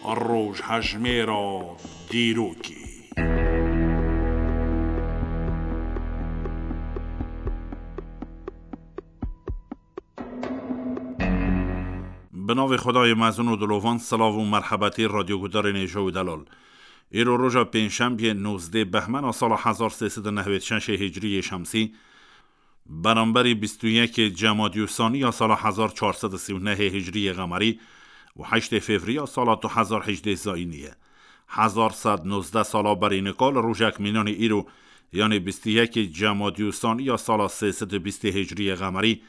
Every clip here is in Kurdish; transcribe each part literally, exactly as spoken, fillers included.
Rojhejmêra dîrokê. Bi navê Xwedayê mezin û dilovan, silav û merhebetî radyogudarên hêja û delal. Îro roja pêncşembiyê nozdeh behmena sala hezar sê sed û nehwêd şeşê hicriyê şemsî, beramberî bîst û yekê Cemadî û Sanî ya sala hezar çar sed û sî û nehê hicriyê qemerî û heştê Fevriya sala du hezar hejdeh zayînî ye. Hezar sed nozdeh sala berî nika li rojek mînanî îro, yanê bîst û yekê Cemadî û Sanî ya sala sê sed û bîstê hicriyê qemerî,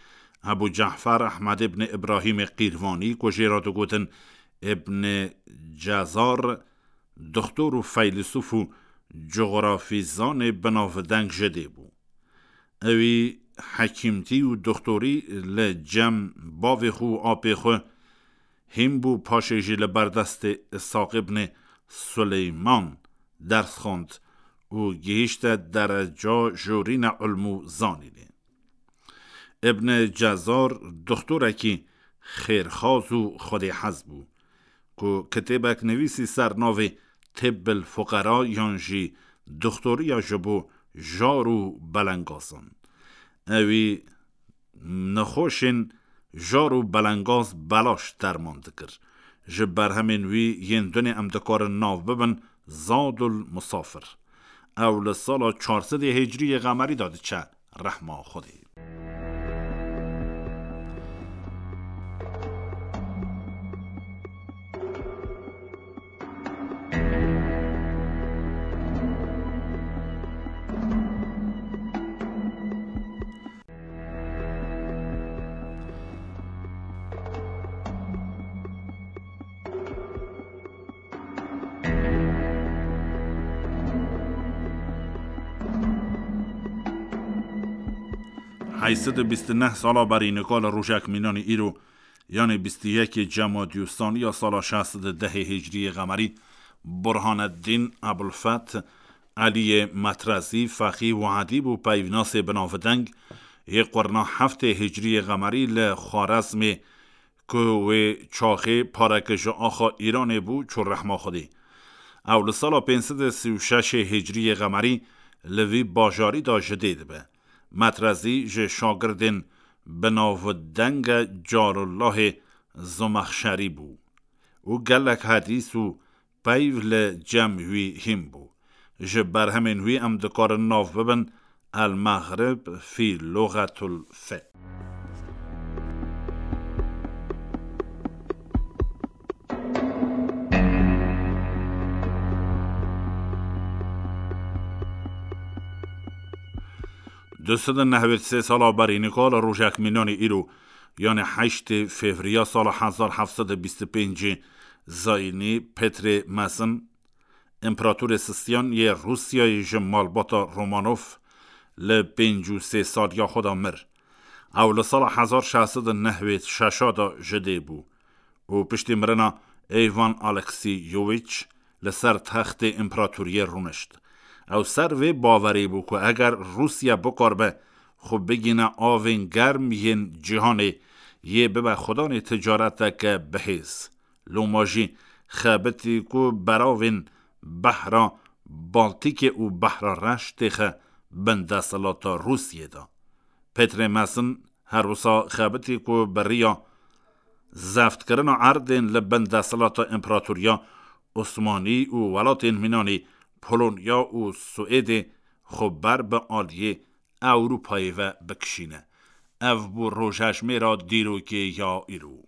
Ebû Cefer Ehmed îbn Îbrahîmê Qîrvanî, ku jê re digotin Îbn Cezar, doxtor û feylesûf û cografîzanê binavdeng ji dê bû. Ewî hekîmtî û doxtorî li cem bavê xwe û apê xwe hîn bû, paşê jî li ber destê Îshaq îbnê Suleyman ders xwend û gihîşte dereca jorîna ilm û zanînê. Îbn Cezar doxtorekî xêrxaz û xwedêhez bû, ku kitêbek nivîsî ser navê Tibbil Fuqera yan jî Doxtoriya ji bo jar û belengazan. Ewî nexweşên jar û belengaz belaş derman dikir. Ji berhemên wî yên dunê em dikarin nav bibin Zadul Musafir. Ew li sala çar sedê hicriyê qemerî de diçe rehma Xwedê. Heyt sed û bîst û neh sala berî nika li rojek mînanî îro, yanê bîst û yekê Cemadî û Sanî ya sala şeş sed û dehê hicriyê qemerî, Burhaneddîn Ebulfeth Eliyê Metrezî, feqî û edîb û peyvnasê binavdeng, yê qurna heftê hicriyê qemerî li Xwarezmê, ku wê çaxê pareke ji axa Îranê bû, çû rehma Xwedê. Ew li sala pênc sed û sî û şeşê hicriyê qemerî li vî bajarî de ji dê dibe. Metrezî ji şagirdên binavdenge Carullahê Zomexşerî bû û gelek hedîs û peyv li cem wî hîn bû. Ji berhemên wî em dikarin nav bibin El Mexrib fî Luxetul Fe. Du sed û nehwêd sê sala berî nika li rojek mînanî îro, yanê heştê Fevriya sala hezar heft sed û bîst û pêncê zayînî, Petrê Mezin, împeratorê sistiyan yê Rûsyayê ji malbata Romanov, li pêncî û sê saliya xwe de mir. Ew li sala hezar şeş sed û nehwêd şeşa de ji dê bû û piştî mirina Eyvan Aleksîyowîç li ser textê împeratoriyê rûnişt. Ew ser vê bawerê bû ku eger Rûsya bikaribe xwe bigîne avên germ yên cîhanê, yê bibe xudanê ticareteke bihêz. Loma jî xebitî ku beravên Behra Baltîkê û Behra Reş têxe bin desthilata Rûsiyê de. Petrê Mezin her wisa xebitî ku bi riya zeftkirina erdên li bin desthilata Împeratoriya Osmanî û welatên mînanî Polonya û Swêdê xwe ber bi aliyê Ewropayê ve bikişîne. Ev bû rojhejmêra dîrokê ya îro.